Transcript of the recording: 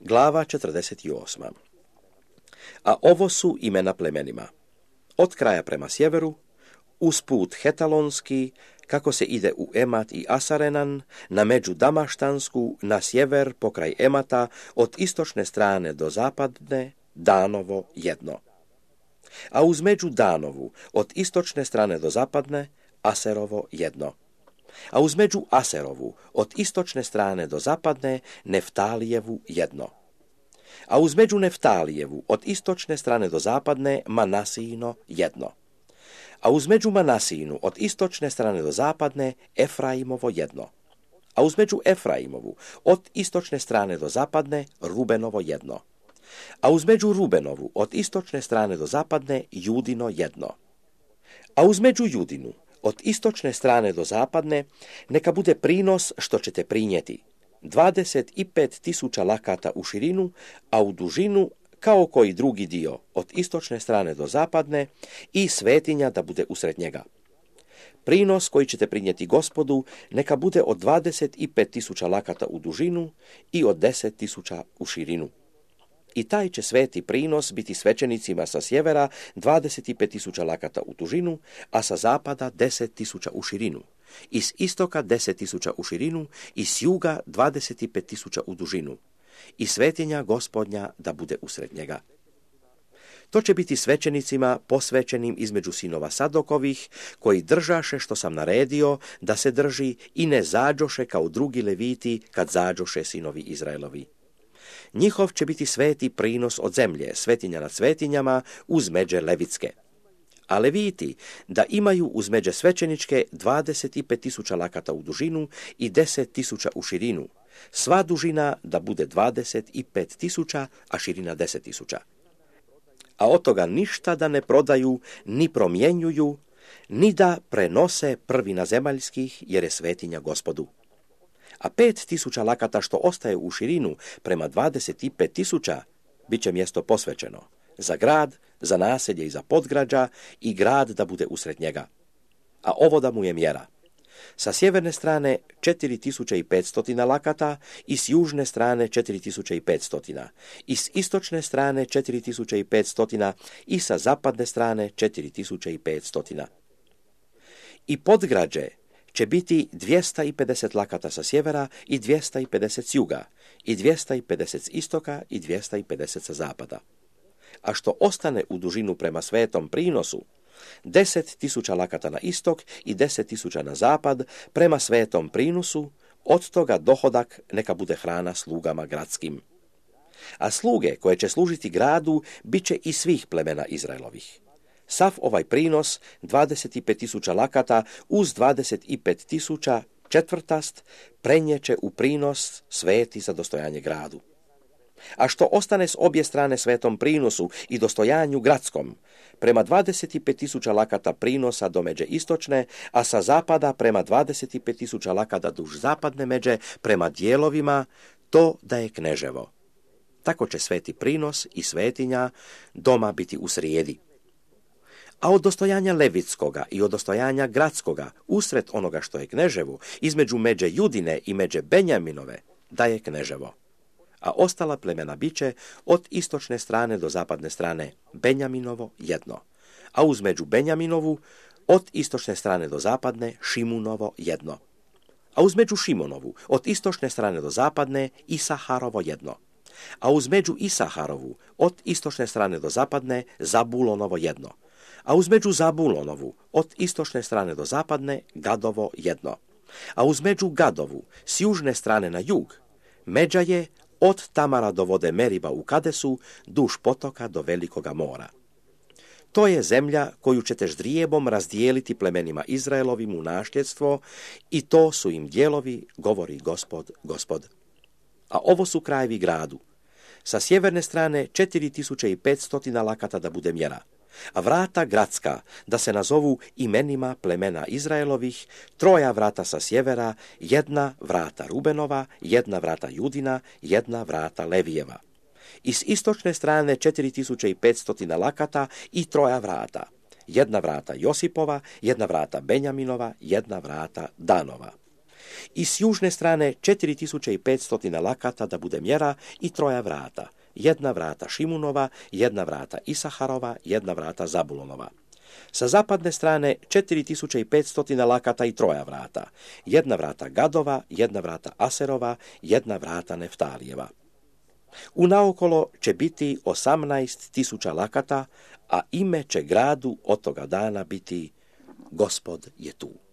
Glava 48. A ovo su imena plemenima. Od kraja prema sjeveru, uz put Hetalonski, kako se ide u Emat i Asarenan, na među Damaštansku, na sjever pokraj Emata, od istočne strane do zapadne, Danovo jedno. A uz među Danovu, od istočne strane do zapadne, Aserovo jedno. A uz među Aserovu, od istočne strane do zapadne, Neftalijevu jedno. A uz među Neftalijevu, od istočne strane do zapadne, Manasijino jedno. A uz među Manasijinu, od istočne strane do zapadne, Efraimovo jedno. A uz među Efraimovu, od istočne strane do zapadne, Rubenovo jedno. A uz među Rubenovu, od istočne strane do zapadne, Judino jedno. A uz među Judinu, od istočne strane do zapadne, neka bude prinos što ćete prinijeti. 25.000 lakata u širinu, a u dužinu kao koji drugi dio, od istočne strane do zapadne, i svetinja da bude usred njega. Prinos koji ćete prinijeti Gospodu neka bude od 25.000 lakata u dužinu i od 10.000 u širinu. I taj će sveti prinos biti svećenicima sa sjevera 25.000 lakata u dužinu, a sa zapada 10.000 u širinu. I s istoka 10.000 u širinu i s juga 25.000 u dužinu. I svetinja Gospodnja da bude usred njega. To će biti svećenicima posvećenim između sinova Sadokovih, koji držaše što sam naredio da se drži i ne zađoše kao drugi leviti kad zađoše sinovi Izraelovi. Njihov će biti sveti prinos od zemlje, svetinja nad svetinjama, uz međe levitske. A leviti da imaju uz međe svećeničke 25.000 lakata u dužinu i 10.000 u širinu. Sva dužina da bude 25.000, a širina 10.000. A od toga ništa da ne prodaju, ni promjenjuju, ni da prenose prvina zemaljskih, jer je svetinja Gospodu. A 5.000 lakata što ostaje u širinu prema 25.000 bit će mjesto posvećeno za grad, za naselje i za podgrađa i grad da bude usred njega. A ovo da mu je mjera. Sa sjeverne strane 4.500 lakata i s južne strane 4.500 i s istočne strane 4.500 i sa zapadne strane 4.500. I podgrađe će biti 250 lakata sa sjevera i 250 s juga, i 250 s istoka i 250 sa zapada. A što ostane u dužinu prema svetom prinosu, 10.000 lakata na istok i 10.000 na zapad prema svetom prinosu, od toga dohodak neka bude hrana slugama gradskim. A sluge koje će služiti gradu bit će i svih plemena Izraelovih. Sav ovaj prinos, 25.000 lakata uz 25.000 četvrtast, prenjeće u prinos sveti za dostojanje gradu. A što ostane s obje strane svetom prinosu i dostojanju gradskom, prema 25.000 lakata prinosa do međe istočne, a sa zapada prema 25.000 lakata duž zapadne međe, prema dijelovima, to da je kneževo. Tako će sveti prinos i svetinja doma biti u srijedi. A od dostojanja levitskoga i od dostojanja gradskoga, usred onoga što je kneževo, između međe Judine i međe Benjaminove, da je kneževo. A ostala plemena biće od istočne strane do zapadne strane Benjaminovo jedno. A uz među Benjaminovu, od istočne strane do zapadne Šimunovo jedno. A uz među Šimonovu, od istočne strane do zapadne Isaharovo jedno. A uz među Isaharovu, od istočne strane do zapadne Zabulonovo jedno. A uz među Zabulonovu, od istočne strane do zapadne Gadovo jedno. A uz među Gadovu, s južne strane na jug, međa je od Tamara do vode Meriba u Kadesu, duž potoka do Velikoga mora. To je zemlja koju ćete ždrijebom razdijeliti plemenima Izraelovim u nasljedstvo i to su im dijelovi, govori Gospod, Gospod. A ovo su krajevi gradu. Sa sjeverne strane 4.500 lakata da bude mjera, a vrata gradska da se nazovu imenima plemena Izraelovih, 3 vrata sa sjevera, 1 vrata Rubenova, 1 vrata Judina, 1 vrata Levijeva. I s istočne strane 4.500 lakata i 3 vrata, 1 vrata Josipova, 1 vrata Benjaminova, 1 vrata Danova. I s južne strane 4500 lakata da bude mjera i 3 vrata. 1 vrata Šimunova, 1 vrata Isaharova, 1 vrata Zabulonova. Sa zapadne strane 4500 lakata i 3 vrata. 1 vrata Gadova, 1 vrata Aserova, 1 vrata Neftalijeva. Unaokolo će biti 18.000 lakata, a ime će gradu od toga dana biti Gospod je tu.